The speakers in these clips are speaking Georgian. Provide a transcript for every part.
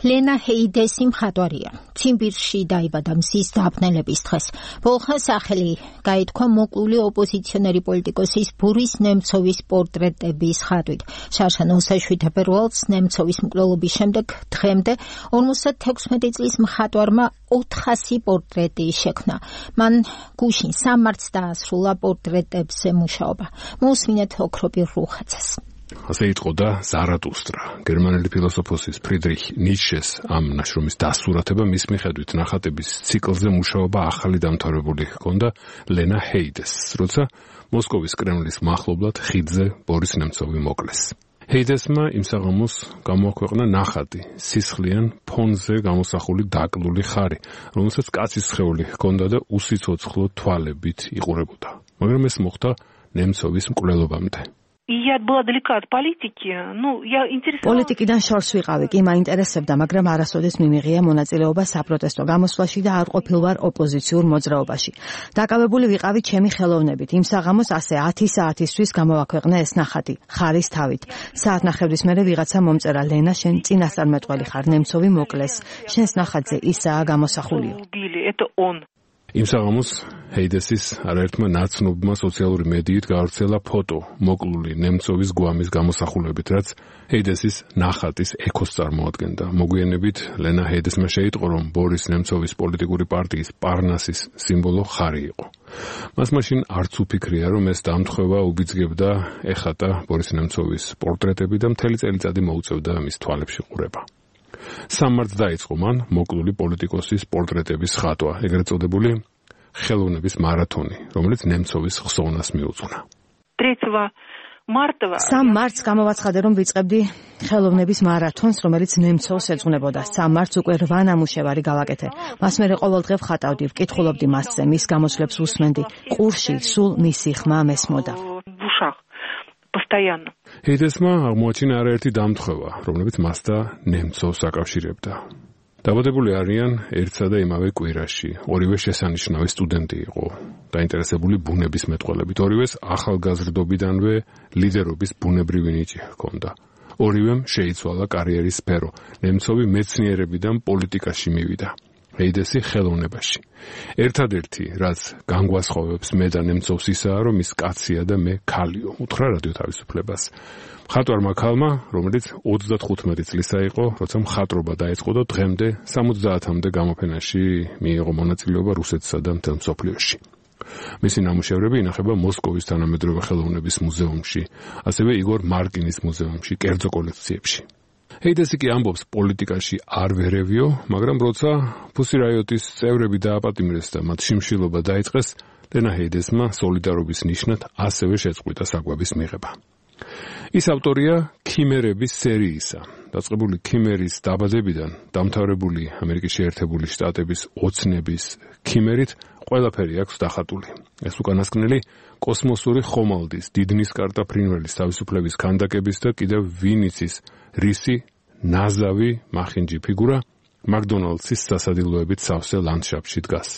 ლენა ჰეიდესი მხატვარია. ციმბირში დაიბადა მზის დაბნელების დღეს. ბოლხან სახელი გაითქვა მოკლული ოპოზიციონერი პოლიტიკოსის ბორის ნემცოვის პორტრეტების ხატვით. შარშა ნოსაშვი თებერვალს ნემცოვის მკვლელობის შემდეგ დღემდე 56 წლის მხატვარმა 400 პორტრეტი შექმნა. მან გუშინ 3 მარტს დაასრულა პორტრეტებზე მუშაობა. მოусმინეთ ოქროპირ რუხაძეს. ასე იტყოდა ზარატუსტრა, გერმანელი ფილოსოფოსის ფრიდრიხ ნიშეს ამ ნაშრომის დასურათება მის მიხედვით ნახატების ციკლზე მუშაობა ახალი დამთავრებული ჰქონდა ლენა ჰეიდესს, როცა მოსკოვის კრემლის მახლობლად ხიდზე ბორის ნემცოვი მოკლეს. ჰეიდესმა იმ საღამოს გამოაქვეყნა ნახატი, სისხლიან ფონზე გამოსახული დაკლული ხარი, რომელსაც კაცის სხეული ჰქონდა და უსიცოცხლო თვალებით იყურებოდა. მაგრამ ეს მოხდა ნემცოვის მკვლელობამდე. პოლიტიკიდან შორს ვიყავი, კი მაინტერესებდა, მაგრამ არასოდეს მიმიღია მონაწილეობა საპროტესტო გამოსვლაში და არ ყოფილვარ ოპოზიციურ მოძრაობაში. დაკავებული ვიყავი ჩემი ხელოვნებით. იმ საღამოს ასე 10 საათისთვის გამოვაქვეყნა ეს ნახატი, ხარის თავით. საათნახევრის მერე ვიღაცა მომწერა, ლენა, შენ წინასწარმეტყველი ხარ, ნემცოვი მოკლეს. შენს ნახატზე ისაა გამოსახულიო. იმ საღამოს ჰეიდესის არაერთმა ნაცნობმა სოციალური მედიით გავრცელა ფოტო მოკლული ნემცოვის გვამის გამოსახულებით, რაც ჰეიდესის ნახატის ექოს წარმოადგენდა. მოგვიანებით ლენა ჰეიდესმა შეიტყო, რომ ბორის ნემცოვის პოლიტიკური პარტიის პარნასის სიმბოლო ხარი იყო. მას მაშინ არც უფიქრია, რომ ეს დამთხევა უბიძგებდა ეხატა ბორის ნემცოვის პორტრეტები და მთელი წელიწადი მოუწევდა მის თვალებში ყურება. 3 მარტს დაიწყო მან მოკლული პოლიტიკოსის პორტრეტების ხატვა, ეგრეთ წოდებული ხელოვნების მარათონი, რომელიც ნემცოვის ხსოვნას მიუძღვნა. 3 მარტს გამოვაცხადე, რომ ვიწყებდი ხელოვნების მარათონს, რომელიც ნემცოვს ეძღვნებოდა. 3 მარტს უკვე 8 ნამუშევარი გავაკეთე. მას მერე ყოველ დღე ვხატავდი, ვკითხულობდი მასზე, მის გამოსვლებს უსმენდი. ყურში სულ მისი ხმა მესმოდა. ჰეიდესმა აღმოაჩინა არაერთი დამთხევა, რომლებიც მას და ნემცოვს აკავშირებდა. დაბადებული არიან ერთსა და იმავე კვირაში. ორივე შესანიშნავი სტუდენტი იყო, დაინტერესებული ბუნების მეტყველებით. ორივეს ახალგაზრდობიდანვე ლიდერობის ბუნებრივი ნიჭი ჰქონდა. ორივემ შეიცვალა კარიერის სფერო. ნემცოვი მეცნიერებიდან პოლიტიკაში მივიდა. ჰეიდესი ხელოვნებაში. ერთადერთი, რაც განგვასხოვებს მე და ნემცოვს ისაა, რომ ის კაცია და მე ქალიო, უთხრა რადიო თავისუფლებას. მხატვარმა ქალმა, რომელიც 35 წლისა იყო, როცა მხატვრობა დაიწყო და დღემდე 70-მდე გამოფენაში მიიღო მონაწილეობა რუსეთსა და მთელ მსოფლიოში. მისი ნამუშევრები ინახება მოსკოვის თანამედროვე ხელოვნების მუზეუმში, ასევე იგორ მარკინის მუზეუმში, კერძო კოლექციებში. ჰეიდესი კი ამბობს, პოლიტიკაში არ ვერევიო, მაგრამ როცა ფუსი რაიოტის წევრები დააპატიმრეს და მათ შიმშილობა დაიწყეს, ლენა ჰეიდესმა სოლიდარობის ნიშნად ასევე შეწყვიტა საკვების მიღება. ის ავტორია ქიმერების სერიისა. დაწყებული ქიმერის დაბადებიდან დამთავრებული ამერიკის შეერთებული შტატების ოცნების ქიმერით ყველაფერი აქვს დახატული. ეს უკანასკნელი კოსმოსური ხომალდის, დიდნისკარტა ფრინველის თავისუფლების ქანდაკების და კიდევ ვინიცის რისი ნაზავი მახინჯი ფიგურა მაკდონალდსის სასადილოებით სავსე ლანდშაფტში დგას.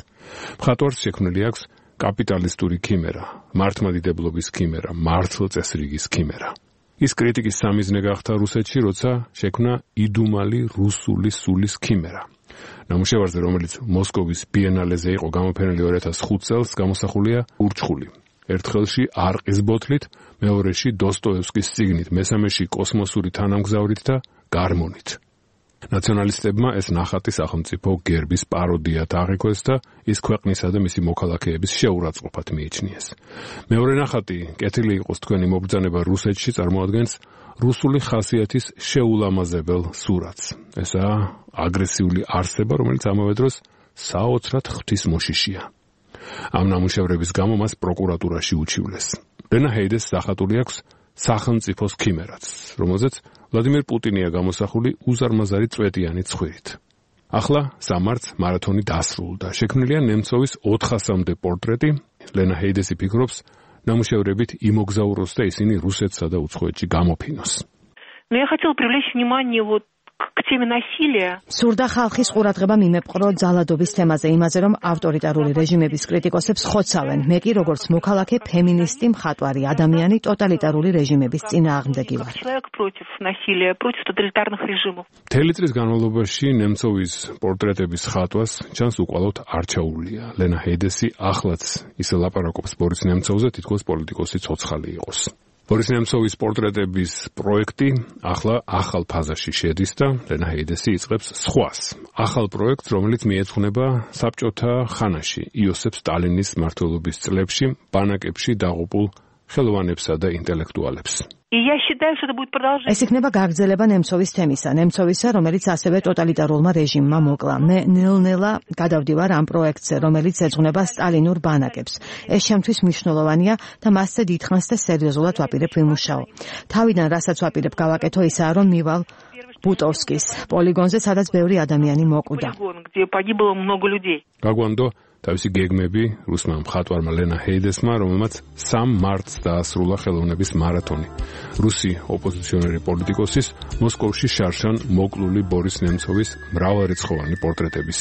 მხატვარს შექმნილი აქვს კაპიტალისტური ქიმერა, მართლმადიდებლობის ქიმერა, მართლწესრიგის ქიმერა. ის კრიტიკის სამიზნე გახდა რუსეთში, როცა შექმნა იდუმალი რუსული სულის ქიმერა. ნამუშევარზე, რომელიც მოსკოვის ბიენალეზე იყო გამოფენილი 2005 წელს, გამოსახულია ურჩხული. ერთხელში არყის ბოთლით, მეორეში დოსტოევსკის წიგნით, მესამეში კოსმოსური თანამგზავრით და გარმონით. ნაციონალისტებმა ეს ნახატი სახელმწიფო გერბის პაროდიად აღიქვეს და ის ქვეყნისა და მისი მოქალაქეების შეურაცხყოფად მიიჩნიეს. მეორე ნახატი, კეთილი იყოს თქვენი მობრძანება რუსეთში, წარმოადგენს რუსული ხასიათის შეულამაზებელ სურათს. ესაა აგრესიული არსება, რომელიც ამავე დროს საოცრად ღვთისმოშიშია. ამ ნამუშევრების გამო მას პროკურატურაში უჩივლეს. ლენა ჰეიდესს დახატული აქვს სახელმწიფოს ქიმერაც, რომელზეც ვლადიმერ პუტინია გამოსახული უზარმაზარი წვეტიანი ცხვირით. ახლა 3 მარტს მარათონი დასრულდა. შექმნილია ნემცოვის 400-მდე პორტრეტი. ლენა ჰეიდესი ფიქრობს, ნამუშევრებით იმოგზაუროს და ისინი რუსეთსა და უცხოეთში გამოფინოს. სურდა ხალხის ყურადღება მიმეპყრო ძალადობის თემაზე, იმაზე, რომ ავტორიტარული რეჟიმების კრიტიკოსებს ხოცავენ. მე კი როგორც მოქალაქე, ფემინისტი, მხატვარი, ადამიანი ტოტალიტარული რეჟიმების წინააღმდეგი ვარ. მთელი წლის განმავლობაში ნემცოვის პორტრეტების ხატვას ჩანს უკვალოდ არჩეულია. ლენა ჰეიდესი ახლაც ისე ლაპარაკობს ბორის ნემცოვზე, თითქოს პოლიტიკოსი ცოცხალი იყოს. ბორის ნემცოვის პორტრეტების პროექტი ახლა ახალ ფაზაში შედის და ლენა ჰეიდესი იწყებს სხვას. ახალ პროექტს, რომელიც მიეძღვნება საბჭოთა ხანაში იოსებ სტალინის მმართველობის წლებში ბანაკებში დაღუპულ ხელოვანებსა და ინტელექტუალებს. ეს იქნება გაგრძელება ნემცოვის თემისა, ნემცოვისა, რომელიც ასევე ტოტალიტარულმა რეჟიმმა მოკლა. მე ნელ-ნელა გადავდივარ ამ პროექტზე, რომელიც ეძღვნება სტალინურ ბანაკებს. ეს შემთთვის მნიშვნელოვანია და მასზე დიდხანს და სერიოზულად ვაპირებ ვიმუშაო. თავიდან რასაც ვაპირებ გავაკეთო ისაა, რომ მივალ ბუტოვსკის პოლიგონზე, სადაც ბევრი ადამიანი მოკვდა. გაგვანდო თავისი გეგმები რუსმა მხატვარმა ლენა ჰეიდესმა, რომელმაც 3 მარტს დაასრულა ხელოვნების მარათონი. რუსი ოპოზიციონერი პოლიტიკოსის მოსკოვში შარშან მოკლული ბორის ნემცოვის მრავალრიცხოვანი პორტრეტების